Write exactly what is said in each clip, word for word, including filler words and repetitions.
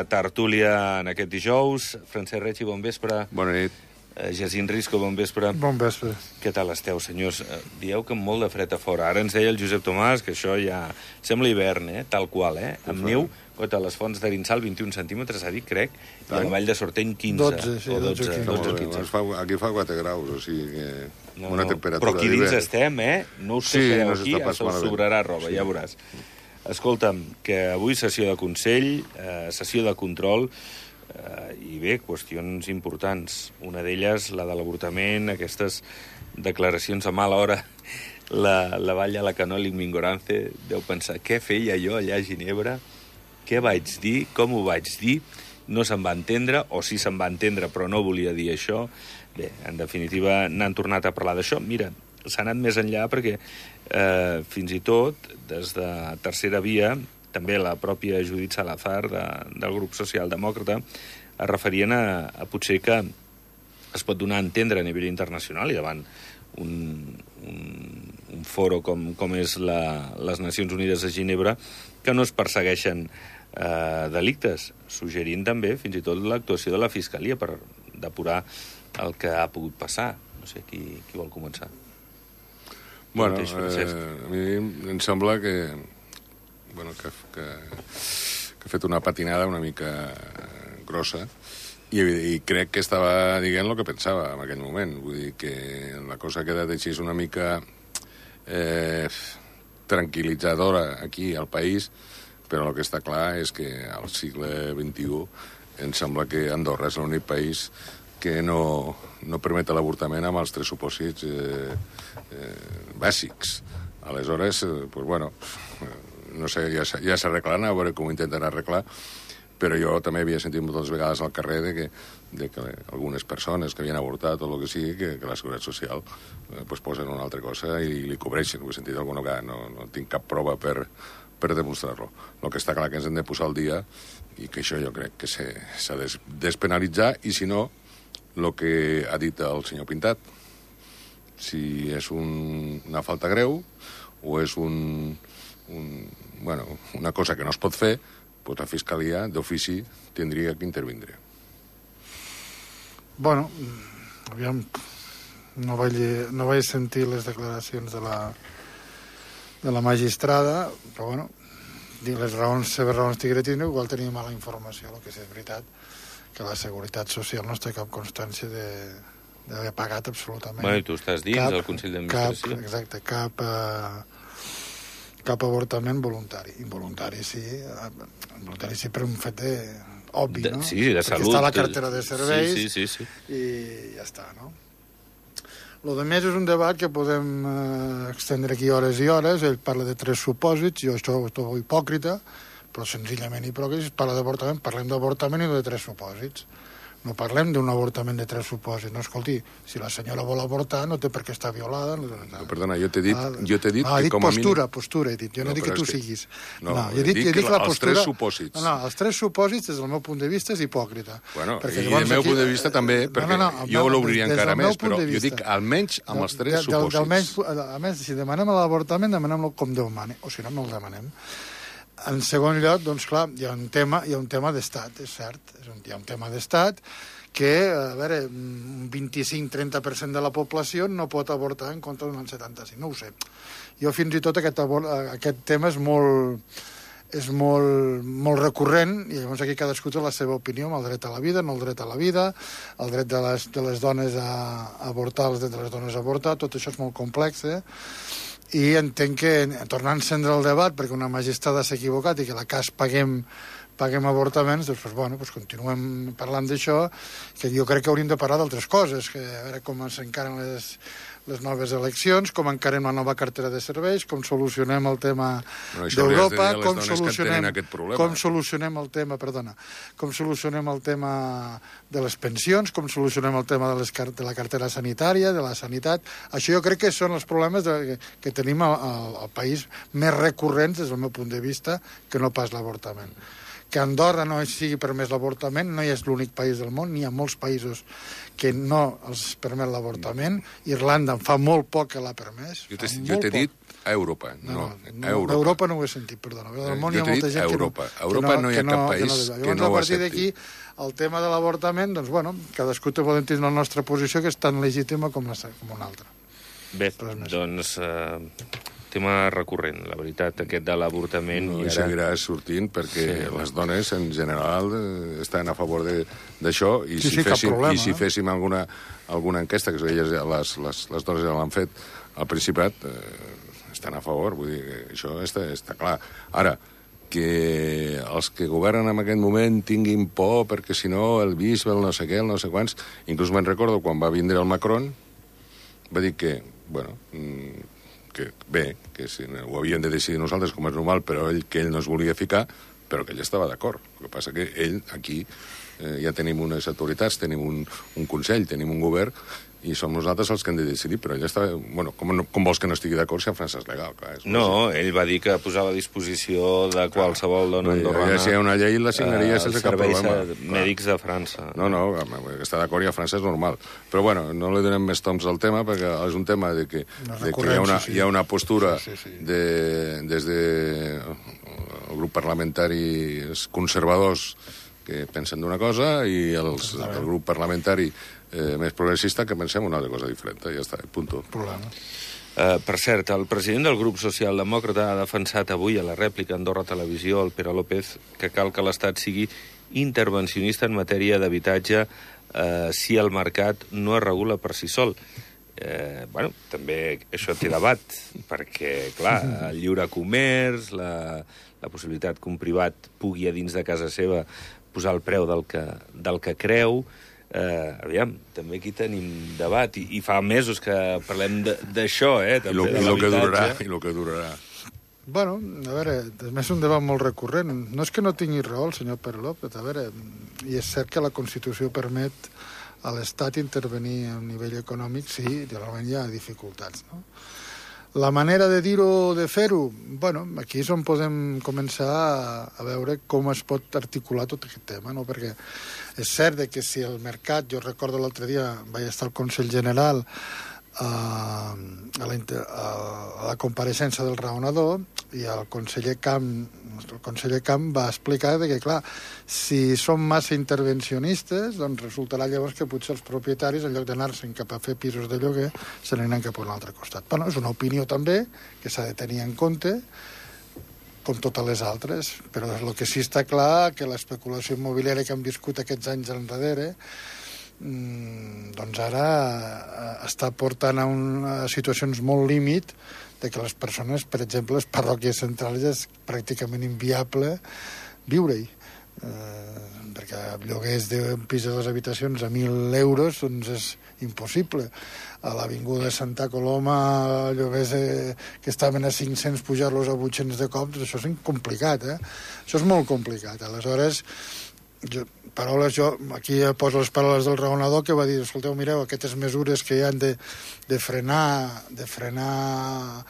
tertúlia en aquest dijous. Francesc Reig, bon vespre. Bona nit. Jacint Risco, bon vespre. Bon vespre. Què tal esteu, senyors? Dieu que amb molt de fred a fora. Ara ens deia el Josep Tomàs que això ja sembla hivern, eh? Tal qual, eh? Amb neu, a les fonts d'Arinsal, vint i un centímetres, ha dit, crec, i a la Vall de Sorteny, quinze. dotze, sí, o dotze, dotze, dotze, quinze. quinze. Aquí fa quatre graus, o sigui que No, una no, temperatura... però aquí dins d'hivern. estem, eh? No us Sí, queixareu no aquí, s'està pas us malament. sobrarà roba, Sí. ja veuràs. Escolta'm, que avui sessió de Consell, eh, sessió de control, eh, i bé, qüestions importants. Una d'elles, la de l'avortament, aquestes declaracions a mala hora. La, la Valla, la Canoli Mingorance deu pensar, què feia jo allà a Ginebra? Què vaig dir? Com ho vaig dir? No se'n va entendre, o sí se'n va entendre, però no volia dir això. Bé, en definitiva, n'han tornat a parlar d'això. Mira, s'ha anat més enllà perquè eh, fins i tot, des de Tercera Via, també la pròpia Judit Salazar de, del grup socialdemòcrata es referien a, a potser que es pot donar a entendre a nivell internacional i davant un, un, un foro com, com és la, les Nacions Unides de Ginebra, que no es persegueixen eh, delictes, suggerint també fins i tot l'actuació de la Fiscalia per depurar el que ha pogut passar. No sé, qui, qui vol començar? Bueno, eh, a mi em sembla que, bueno, que, que, que ha fet una patinada una mica grossa i, i crec que estava dient el que pensava en aquell moment. Vull dir que la cosa ha quedat així una mica eh, tranquil·litzadora aquí al país, però el que està clar és que al segle vint-i-u em sembla que Andorra és l'únic país que no, no permet l'avortament amb els tres supòsits eh, eh, bàsics. Aleshores, eh, pues bueno, no sé, ja, ja s'arreglaran, a veure com ho intenten arreglar, però jo també havia sentit moltes vegades al carrer de que, de que algunes persones que havien avortat o el que sigui, que, que la Seguretat Social eh, pues posen una altra cosa i li cobreixen. Ho he sentit alguna vegada, no, no tinc cap prova per, per demostrar-lo. El que està clar que ens hem de posar al dia i que això jo crec que s'ha de despenalitzar i, si no, el que ha dit el senyor Pintat, si és un, una falta greu o és un, un, bueno, una cosa que no es pot fer, doncs la Fiscalia d'ofici tindria que intervindre. Bueno, aviam, no vaig, no vaig sentir les declaracions de la, de la magistrada, però bueno, les raons, seves raons tigretines, igual tenia mala informació, el que és veritat, que la Seguretat Social no té cap constància d'haver pagat absolutament. Bueno, i tu estàs dins cap, del Consell d'Administració. Cap, exacte, cap, eh, cap avortament voluntari. Involuntari, sí. Involuntari sí, per un fet de, obvi, de, no? Sí, de Perquè salut. està a la cartera de serveis sí, sí, sí, sí. i ja està, no? Lo de més és un debat que podem eh, extendre aquí hores i hores. Ell parla de tres supòsits, jo això ho trobo hipòcrita, però senzillament hipòcrita. Parla d'avortament, parlem d'avortament i de tres supòsits. No parlem d'un avortament de tres supòsits. No, escolti, si la senyora vol avortar no té per què estar violada. No, no, perdona, jo t'he dit, ah, jo t'he dit no, que dit com a postura, mínim... postura, he dit. Jo no, no dic que tu que... siguis. No, no jo he dit, dic, dic la els postura... tres supòsits. No, no, els tres supòsits, des del meu punt de vista, és hipòcrita. Bueno, perquè, i del meu aquí... punt de vista també, perquè no, no, no, jo l'obriria encara més, però jo dic almenys amb els tres supòsits. Almenys, almenys, si demanem l'avortament, demanem-lo com Déu mani, o si no, no el demanem. En segon lloc, doncs clar, hi ha un tema, hi ha un tema d'estat, és cert, és un, hi ha un tema d'estat que, a veure, un vint-i-cinc a trenta per cent de la població no pot avortar en contra d'un setanta-cinc, no ho sé. Jo fins i tot aquest, aquest tema és molt, és molt, molt recurrent i llavors aquí cadascú té la seva opinió amb el dret a la vida, no el dret a la vida, el dret de les, de les dones a avortar, el dret de les dones a avortar, tot això és molt complex, eh? I entenc que, tornant a encendre el debat, perquè una magistrada s'ha equivocat i que la cas paguem, paguem avortaments, doncs, doncs, bueno, doncs continuem parlant d'això, que jo crec que hauríem de parlar d'altres coses, que a veure com s'encaren les, les noves eleccions, com encarem la nova cartera de serveis, com solucionem el tema bueno, d'Europa, de com solucionem, com eh? solucionem el tema, perdona, com solucionem el tema de les pensions, com solucionem el tema de, les, de la cartera sanitària, de la sanitat. Això jo crec que són els problemes de, que, que tenim al, al país més recurrents, des del meu punt de vista, que no pas l'avortament. que a Andorra no sigui permès l'avortament, no és l'únic país del món, n'hi ha molts països que no els permet l'avortament. Irlanda fa molt poc que l'ha permès. Jo t'he dit a Europa, no, a Europa. A Europa no ho he sentit, perdona. Al món hi ha molta gent que no... A Europa no hi ha cap país que no ho accepti. A partir d'aquí, el tema de l'avortament, doncs, bueno, cadascú té poden tenir la nostra posició, que és tan legítima com una altra. Bé, doncs... tema recurrent, la veritat, aquest de l'avortament. No, i ara... seguirà sortint perquè sí, les dones, en general, estan a favor d'això, i sí, si sí, féssim, problema, i si eh? féssim alguna, alguna enquesta, que elles, les, les, les dones ja l'han fet al Principat, eh, estan a favor, vull dir que això està, està clar. Ara, que els que governen en aquest moment tinguin por perquè si no el bisbe, el no sé què, el no sé quants... Inclús me'n recordo quan va vindre el Macron, va dir que, bueno... que bé, que si ho havíem de decidir nosaltres com és normal, però ell, que ell no es volia ficar, però que ell estava d'acord. El que passa que ell, aquí, eh, ja tenim unes autoritats, tenim un, un consell, tenim un govern, i som nosaltres els que hem de decidir, però ell estava... Bueno, com, no, com vols que no estigui d'acord si en França és legal? Clar, és no, ell va dir que posava a disposició de qualsevol dona andorrana... Ja si hi ha una llei, la signaria uh, sense cap problema. Serveis mèdics de França. No, no, està d'acord i a França és normal. Però, bueno, no li donem més toms al tema, perquè és un tema de que, de que hi, ha una, hi ha una postura sí, sí, sí. De, des de el grup parlamentari conservadors que pensen d'una cosa i els, el grup parlamentari Eh, més progressista que pensem una altra cosa diferent. Ja està, punto. Problema. Uh, per cert, el president del grup socialdemòcrata ha defensat avui a la rèplica Andorra Televisió, el Pere López, que cal que l'Estat sigui intervencionista en matèria d'habitatge uh, si el mercat no es regula per si sol. Eh, bueno, també això té debat, perquè, clar, el lliure comerç, la, la possibilitat que un privat pugui a dins de casa seva posar el preu del que, del que creu. Uh, aviam, també aquí tenim debat i, i fa mesos que parlem d'això, eh? I el que durarà, i el que durarà. Bueno, a veure, a més un debat molt recurrent. No és que no tingui raó el senyor Pere López, a veure, i és cert que la Constitució permet a l'Estat intervenir a nivell econòmic, sí, realment hi ha dificultats, no? La manera de dir-ho, de fer-ho, bueno, aquí és on podem començar a, a veure com es pot articular tot aquest tema, no? Perquè és cert que si el mercat, jo recordo l'altre dia, vaig estar al Consell General a, a, la, a la compareixença del raonador i el conseller Camp, el conseller Camp va explicar que, clar, si som massa intervencionistes, doncs resultarà llavors que potser els propietaris, en lloc d'anar-se'n cap a fer pisos de lloguer, se n'aniran cap a un altre costat. Bueno, és una opinió també que s'ha de tenir en compte, com totes les altres, però el que sí està clar que l'especulació immobiliària que hem viscut aquests anys enrere doncs ara està portant a, una, a situacions molt límit de que les persones, per exemple, les parròquies centrals és pràcticament inviable viure-hi. Eh, perquè lloguers d'un pis de dues habitacions a mil euros doncs és impossible. A l'avinguda de Santa Coloma lloguers eh, que estaven a cinc-cents pujar-los a vuit-cents de cop, doncs això és complicat, eh? Això és molt complicat. Aleshores, jo, paraules, jo aquí poso les paraules del raonador que va dir, escolteu, mireu, aquestes mesures que hi han de, de frenar de frenar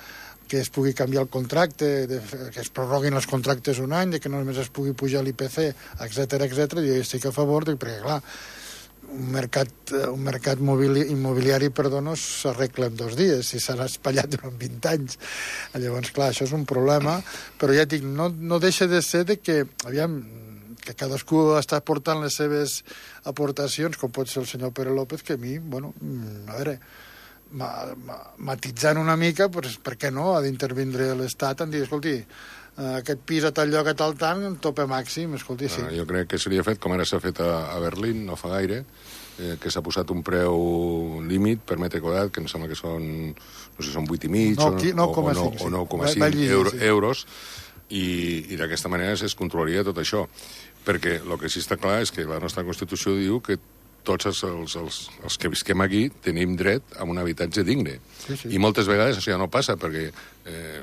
que es pugui canviar el contracte, de, que es prorroguin els contractes un any, de que només es pugui pujar l'I P C, etcètera, etcètera, jo estic a favor, de, perquè, clar, un mercat, un mercat mobili, immobiliari, perdó, no s'arregla en dos dies, si s'ha espatllat durant vint anys. Llavors, clar, això és un problema, però ja dic, no, no deixa de ser de que, aviam, que cadascú està aportant les seves aportacions, com pot ser el senyor Pere López, que a mi, bueno, a veure, ma, ma, matitzant una mica, pues, per què no, ha d'intervindre l'Estat en dir, escolti, aquest pis a tal lloc, a tal tant, en tope màxim, escolti, sí. Ah, jo crec que seria fet, com ara s'ha fet a, a Berlín, no fa gaire, eh, que s'ha posat un preu límit per metre quadrat, que em sembla que són, no sé, són vuit i mig, no, o, no, o, no, o nou coma cinc euro, sí. euros, i, i d'aquesta manera es controlaria tot això. Perquè el que sí està clar és que la nostra Constitució diu que tots els, els, els, els que visquem aquí tenim dret a un habitatge digne. Sí, sí. I moltes vegades això ja no passa, perquè eh,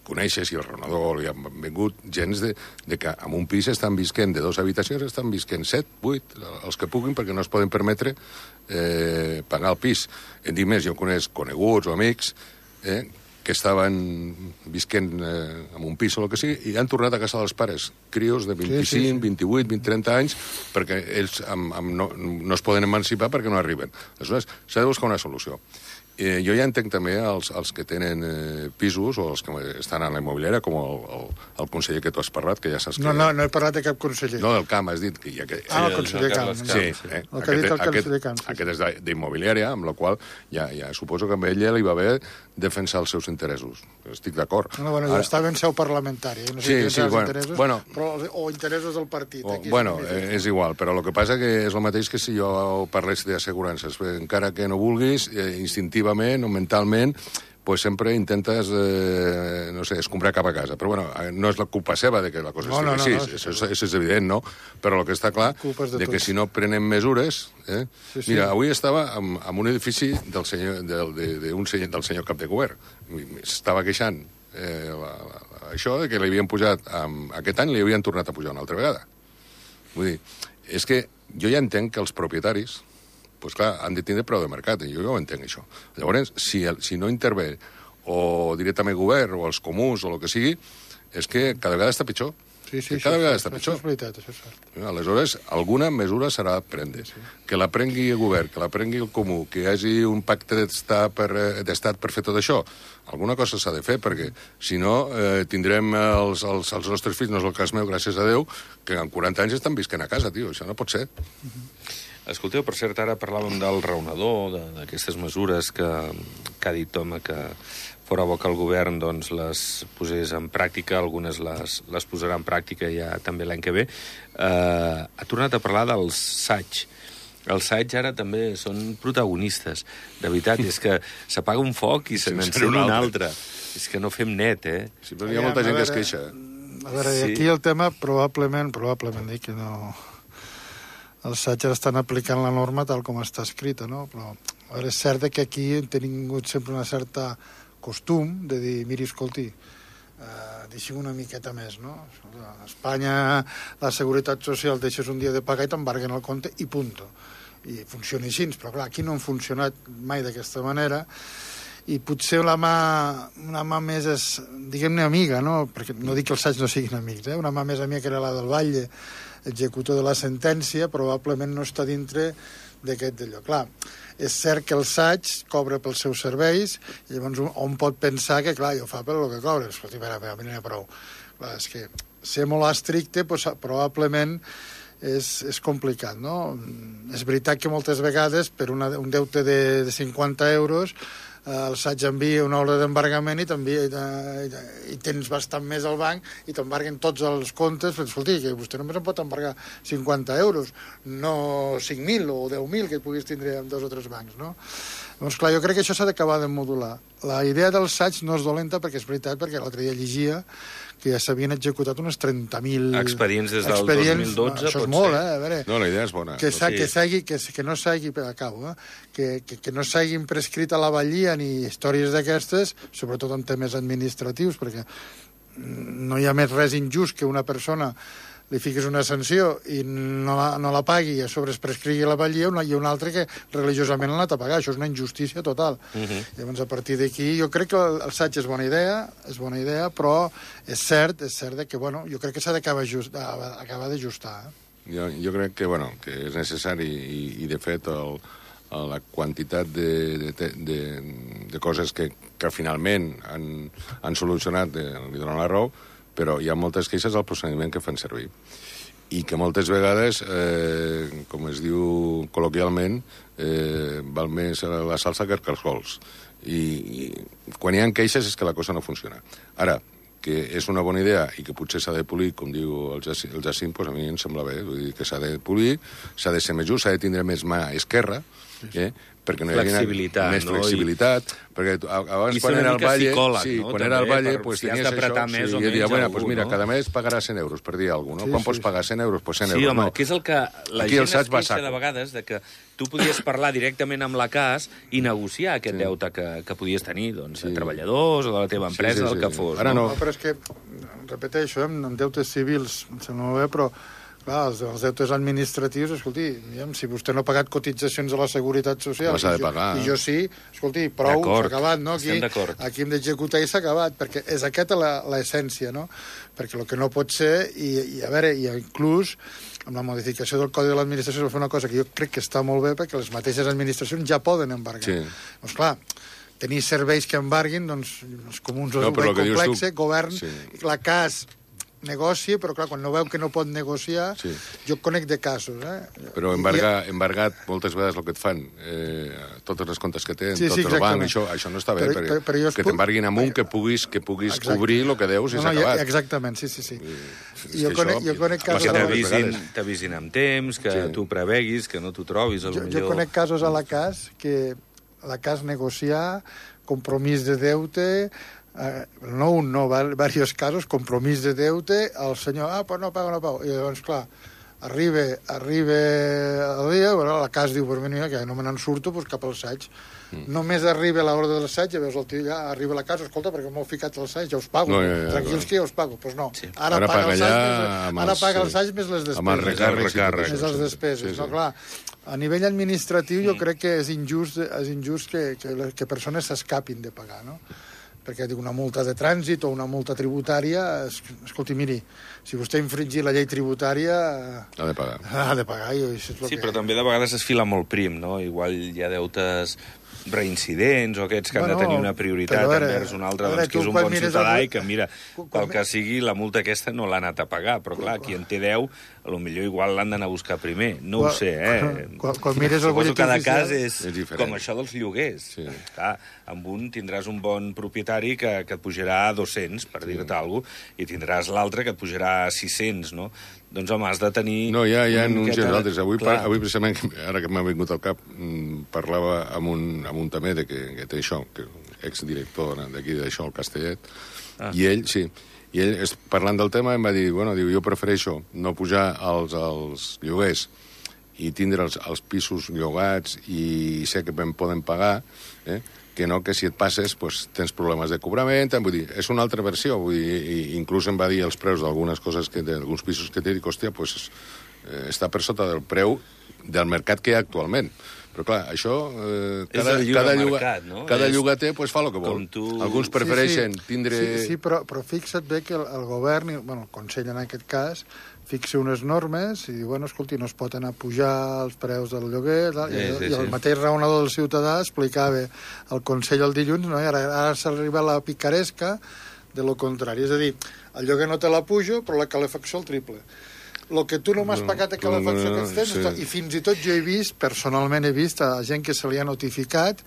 coneixes, i el raonador li han vingut gens de, de que en un pis estan visquent de dues habitacions, estan visquent set, vuit, els que puguin, perquè no es poden permetre eh, pagar el pis. En dic més, jo coneix coneguts o amics eh, que que estaven visquent eh, en un pis o el que sigui, i han tornat a casa dels pares, crios de vint-i-cinc, sí, sí, sí. vint-i-vuit, vint, trenta anys, perquè ells amb, amb no, no es poden emancipar perquè no arriben. Aleshores, s'ha de buscar una solució. Eh, jo ja entenc també els, els que tenen eh, pisos o els que estan a la immobiliària, com el, el, el conseller que tu has parlat, que ja saps que... No, no, no he parlat de cap conseller. No, del Camp, has dit que... Ja que... Ah, el conseller Camp. Sí, eh? El que ha dit el conseller Camp. Aquest és d'immobiliària, amb la qual ja, ja suposo que amb ella li va bé defensar els seus interessos. Estic d'acord. No, bueno, Ara... estava en seu parlamentària. No sé sí, si sí, bueno, interessos, bueno, però, o interessos del partit. O, Aquí bueno, és, és igual, però el que passa que és el mateix que si jo parlés d'assegurances. Encara que no vulguis, eh, instintivament o mentalment, pues sempre intentes, eh, no sé, escombrar cap a casa. Però, bueno, no és la culpa seva de que la cosa no, estigui no, així. no, no, això, és, això és evident, no? Però el que està clar, de, de que si no prenem mesures... Eh? Sí, sí. Mira, avui estava en, en un edifici del senyor, del, de, de un senyor, del senyor cap de govern. Estava queixant eh, la, la, això de que li havien pujat... Um, aquest any li havien tornat a pujar una altra vegada. Vull dir, és que jo ja entenc que els propietaris... pues clar, han de tindre preu de mercat, i jo ja ho entenc, això. Llavors, si, el, si no intervé o directament govern o els comuns o el que sigui, és que cada vegada està pitjor. Sí, sí, cada sí, vegada sí, està pitjor. Això és veritat, això és cert. Aleshores, alguna mesura s'ha de prendre. Sí. Que la prengui el govern, que la prengui el comú, que hi hagi un pacte d'estat per, d'estat per fer tot això. Alguna cosa s'ha de fer, perquè si no eh, tindrem els, els, els nostres fills, no és el cas meu, gràcies a Déu, que en quaranta anys estan visquent a casa, tio. Això no pot ser. Uh-huh. Escolteu, per cert, ara parlàvem del raonador, d'aquestes mesures que, que ha dit Toma, que fora bo que el govern doncs, les posés en pràctica, algunes les, les posarà en pràctica ja també l'any que ve. Eh, ha tornat a parlar dels S A G. Els S A G ara també són protagonistes. De veritat, és que s'apaga un foc i se n'encén un altre. És que no fem net, eh? Sí, però hi ha molta gent que es queixa. A veure, sí. Aquí el tema probablement, probablement dic que no... Els S A G estan aplicant la norma tal com està escrita, no? Però a veure, és cert que aquí hem tingut sempre una certa costum de dir, miri, escolti, eh, deixi una miqueta més, no? A Espanya la Seguretat Social deixes un dia de pagar i t'embarguen el compte i punto. I funciona així, però clar, aquí no han funcionat mai d'aquesta manera i potser la mà, una mà més és, diguem-ne, amiga, no? Perquè no dic que els S A G no siguin amics, eh? Una mà més amiga que era la del Batlle, executor de la sentència, probablement no està dintre d'aquest d'allò. Clar, és cert que el S A G cobra pels seus serveis, i llavors on pot pensar que, clar, jo fa per el que cobra. Escolti, a veure, a veure, a prou. Clar, és que ser molt estricte, doncs, probablement és, és complicat, no? És veritat que moltes vegades, per una, un deute de, de cinquanta euros, el S A G envia una ordre d'embargament i, i tens bastant més al banc i t'embarguen tots els comptes, però escolti, que vostè només em pot embargar cinquanta euros, no cinc mil o deu mil que et puguis tindre en dos o tres bancs, no? Doncs clar, jo crec que això s'ha d'acabar de modular. La idea del S A G no és dolenta perquè és veritat, perquè l'altre dia llegia que ja s'havien executat uns trenta mil... Expedients des del expedients, dos mil dotze, no, això és molt, eh? A veure, no, la idea és bona. Que, sí. que, segui, que, que no s'hagi... Acabo, eh? Que, que, que no s'hagin prescrit a la vallia ni històries d'aquestes, sobretot en temes administratius, perquè no hi ha més res injust que una persona li fiques una sanció i no la, no la pagui i a sobre es prescrigui la vallia i un altre que religiosament l'ha anat a pagar. Això és una injustícia total. Uh -huh. Llavors, a partir d'aquí, jo crec que el, el S A G és bona idea, és bona idea, però és cert, és cert que, bueno, jo crec que s'ha d'acabar d'ajustar. Eh? Jo, jo crec que, bueno, que és necessari i, i de fet, el, la quantitat de, de, de, de coses que, que finalment han, han solucionat, eh, li donen la raó, però hi ha moltes queixes al procediment que fan servir. I que moltes vegades, eh, com es diu col·loquialment, eh, val més la salsa que els cargols. I, I quan hi ha queixes és que la cosa no funciona. Ara, que és una bona idea i que potser s'ha de polir, com diu el Jacint, el Jacint doncs a mi em sembla bé. Vull dir que s'ha de polir, s'ha de ser més just, s'ha de tindre més mà esquerra, eh? perquè no hi hagi més no? flexibilitat, I... perquè abans I quan era al Valle, sí, no? quan era al Valle, pues, si tenies això, més sí, o i dia, bueno, algú, pues mira, no? cada mes pagaràs cent euros, per dir alguna cosa, no? Sí, Quan sí, pots pagar cent euros? Pues cent sí, euros, home, no. que és el que la Aquí gent es queixa saco. De vegades de que tu podies parlar directament amb la C A S i negociar aquest sí. deute que, que podies tenir, doncs, sí. a treballadors o de la teva empresa, sí, sí, sí, el que fos. Ara no. no. Però és que, repeteixo, eh, amb deutes civils, em sembla molt bé, però Clar, els, els deutes administratius, escolti, si vostè no ha pagat cotitzacions a la Seguretat Social i, jo, i jo sí, escolti, prou, s'ha acabat, no? Aquí, aquí hem d'executar i s'ha acabat, perquè és aquesta l'essència, no? Perquè el que no pot ser, i, i a veure, i inclús amb la modificació del Codi de l'Administració es va fer una cosa que jo crec que està molt bé, perquè les mateixes administracions ja poden embargar. Sí. Doncs clar, tenir serveis que embarguin, doncs, els comuns no, ho veuen complexe, tu... govern, sí. La C A S negoci, però clar, quan no veu que no pot negociar, sí. Jo conec de casos, eh? Però embargar, I... embargat, moltes vegades el que et fan, eh, totes les comptes que tenen, sí, sí, tot el banc, això, això no està bé, però, perquè, però, però que t'embarguin amb un que puguis, que puguis cobrir el que deus i s'ha no, no, acabat. Exactament, sí, sí, sí. I, jo, conec, jo conec casos... Que t'avisin amb temps, que sí. Tu preveguis, que no t'ho trobis, jo, millor... Jo conec casos a la C A S que la C A S negociar, compromís de deute... Uh, no un, no, diversos casos, compromís de deute, el senyor, ah, pues no pago, no pago. I llavors, clar, arriba, arriba el dia, bueno, la C A S diu, pues mira, que no me n'en surto, pues cap al assaig. Mm. Només arriba l'hora de l'assaig, ja veus el tio, ja arriba a la casa, escolta, perquè m'heu ficat a l'assaig, ja us pago. No, ja, ja, tranquils ja, que ja us pago. Doncs pues no, sí. Ara, ara paga l'assaig més, ara l'assaig més les despeses. Amb els recàrrecs. Més les despeses. Sí, sí. No, clar, a nivell administratiu jo crec que és injust, és injust que, que, que persones s'escapin de pagar, no? Perquè dic, una multa de trànsit o una multa tributària, es, escolti, miri, si vostè infringir la llei tributària... Ha de pagar. Ha de pagar. I això és sí, que... però també de vegades es fila molt prim, no? Igual hi ha deutes reincidents o aquests que bueno, han de tenir una prioritat veure, envers un altre, veure, doncs, que és un bon ciutadà el... i que, mira, pel que sigui, la multa aquesta no l'ha anat a pagar, però clar, qui en té deu, potser igual l'han d'anar a buscar primer. No quan, ho sé, eh? Quan, quan mires el Suposo que cada cas és, és com això dels lloguers. Sí. Clar, amb un tindràs un bon propietari que, que et pujarà a dos-cents, per sí. Dir-te alguna cosa, i tindràs l'altre que et pujarà a sis-cents, no? Doncs, home, has de tenir... No, hi ha, hi ha uns i altres. Avui, par, avui precisament, ara que m'ha vingut al cap, parlava amb un, amb un també de que, que té això, que exdirector d'aquí d'això, el Castellet, ah. I ell, sí, i ell, parlant del tema, em va dir, bueno, diu, jo prefereixo no pujar als, als lloguers i tindre els, els pisos llogats i sé que em poden pagar, eh? Que no que si et passes pues, tens problemes de cobrament, vull dir, és una altra versió, vull dir, i inclús em va dir els preus d'algunes coses, que d'alguns pisos que té, i hòstia, pues, eh, està per sota del preu del mercat que hi ha actualment. Però clar, això, eh, cada, cada, lloga, mercat, no? cada és... llogater pues, fa el que vol. Tu... Alguns prefereixen sí, sí. tindre... Sí, sí però, però fixa't bé que el, el govern, bueno, el Consell en aquest cas, fixa unes normes i diu, bueno, escolti, no es pot anar a pujar els preus del lloguer, tal, sí, i, sí, i el sí. mateix raonador del ciutadà explicava al Consell el dilluns, no? I ara, ara s'arriba a la picaresca de lo contrari. És a dir, el lloguer no te la pujo, però la calefacció el triple. El que tu no m'has pagat a calefacció no, no, que tens, sí. I fins i tot jo he vist, personalment he vist a gent que se li ha notificat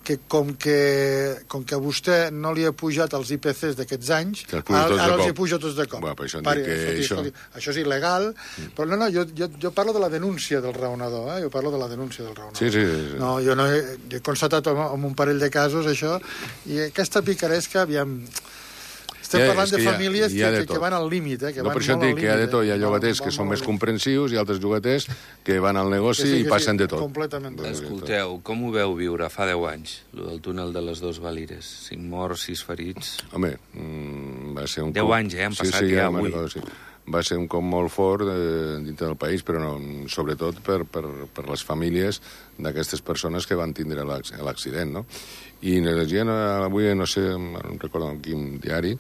que com que, com que a vostè no li ha pujat els I P Cs d'aquests anys, ara, ara els hi puja tots de cop. Bueno, això, Pari, que escolti, això... Escolti, això és il·legal, mm. però no, no, jo, jo, jo parlo de la denúncia del raonador, eh? Jo parlo de la denúncia del raonador. Sí, sí, sí. No, jo no he, he constatat amb un parell de casos això, i aquesta picaresca, aviam... Estem ja, parlant de famílies ha, que, que, que van al límit, eh? Que no, van per això dic que hi ha de tot. Hi ha llogaters no, que són més comprensius i altres llogaters que van al negoci sí, i passen sí, de tot. Completament. Escolteu, com ho veu viure fa deu anys, el del túnel de les dos Valires? Cinc morts, sis ferits... Home, mm, va ser un... Deu cop... anys, eh? Han passat sí, sí, ja, ja avui. Recordo, sí. Va ser un cop molt fort eh, dintre del país, però no, sobretot per, per, per les famílies d'aquestes persones que van tindre l'accident, no? I gent, avui, no sé, no recordo en quin diari,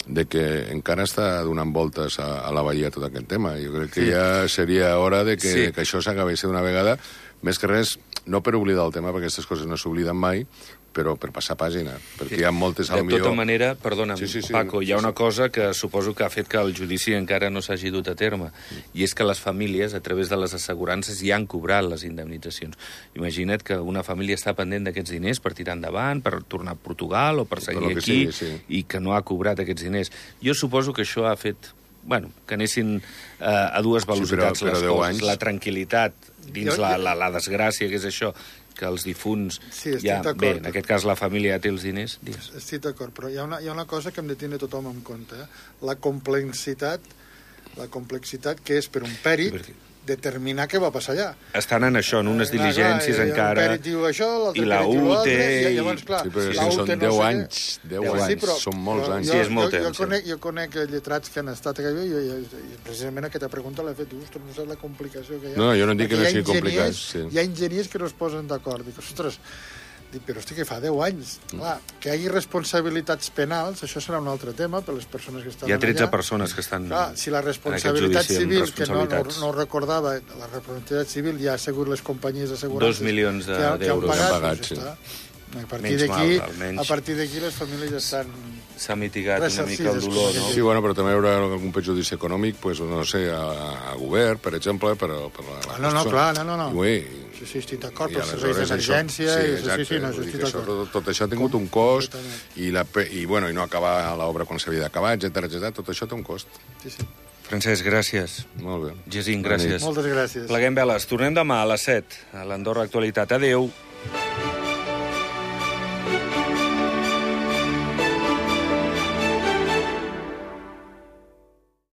de que encara està donant voltes a, a la Bahia tot aquest tema. Jo crec que sí. Ja seria hora de que, sí. que això s'acabés d'una vegada, més que res, no per oblidar el tema, perquè aquestes coses no s'obliden mai, però per passar pàgina, perquè sí. Hi ha moltes... De millor... tota manera, perdona'm, sí, sí, sí, Paco, hi ha sí, una sí. cosa que suposo que ha fet que el judici encara no s'hagi dut a terme, mm. I és que les famílies, a través de les assegurances, ja han cobrat les indemnitzacions. Imagina't que una família està pendent d'aquests diners per tirar endavant, per tornar a Portugal o per seguir per aquí, sigui, sí. I que no ha cobrat aquests diners. Jo suposo que això ha fet... Bueno, que anessin eh, a dues velocitats sí, però, però les coses. Anys... La tranquil·litat dins jo, la, la, la desgràcia, que és això, que els difunts... Sí, ja, bé, en aquest cas la família ja té els diners. Digues. Estic d'acord, però hi ha, una, hi ha una cosa que hem de tenir tothom en compte. Eh? La complexitat, la complexitat que és per un pèrit, determinar què va passar allà. Estan en això, en unes Eh, diligències clar, encara... Un perit diu això, l'altre i la perit diu U T, l'altre, i i- llavors, clar, Sí, però la sí, U T són no deu sé què. anys, deu Sí, anys, però- són molts però anys. Jo, Sí, és molt jo, temps, jo, sí. conec, jo conec lletrats que han estat allà i, i, i, i precisament aquesta pregunta l'he fet, dic, ostres, no saps la complicació que hi ha. No, jo no dic que Perquè no hi ha sigui complicat, enginyers- sí. Hi ha enginyers que no es posen d'acord. Dic, ostres, dic, però hosti, que fa deu anys. Clar, que hi hagi responsabilitats penals, això serà un altre tema per les persones que estan Hi ha tretze allà. persones que estan Clar, si la en aquest responsabilitat judici amb civil, que no, no, responsabilitats. no recordava, la responsabilitat civil ja ha assegut les companyies assegurances... Dos milions de- que han- que han d'euros. pagat, Han pagat, doncs sí. ja està. A partir Menys d'aquí, mal, almenys. a partir d'aquí les famílies estan... S'ha mitigat una mica el Ressarcides, dolor, com no? aquell Sí, bueno, però també hi haurà algun perjudici econòmic, pues, no sé, a, a govern, per exemple, però... Per la, la Ah, no, no, clar, no, no, no. I, ui, Sí, sí, estic d'acord, i pels serveis aleshores això- d'emergència... Sí, i- exacte, sí, sí, no, vull dir estic que això, d'acord. tot, tot això ha tingut un cost Completament. i, la, pe- i, bueno, i no acabar l'obra quan s'havia d'acabar, etcètera, etcètera, tot això té un cost. Sí, sí. Francesc, gràcies. Molt bé. Jacint, Bona nit. gràcies. Moltes gràcies. Pleguem veles. Tornem demà a les set a l'Andorra Actualitat. Adéu.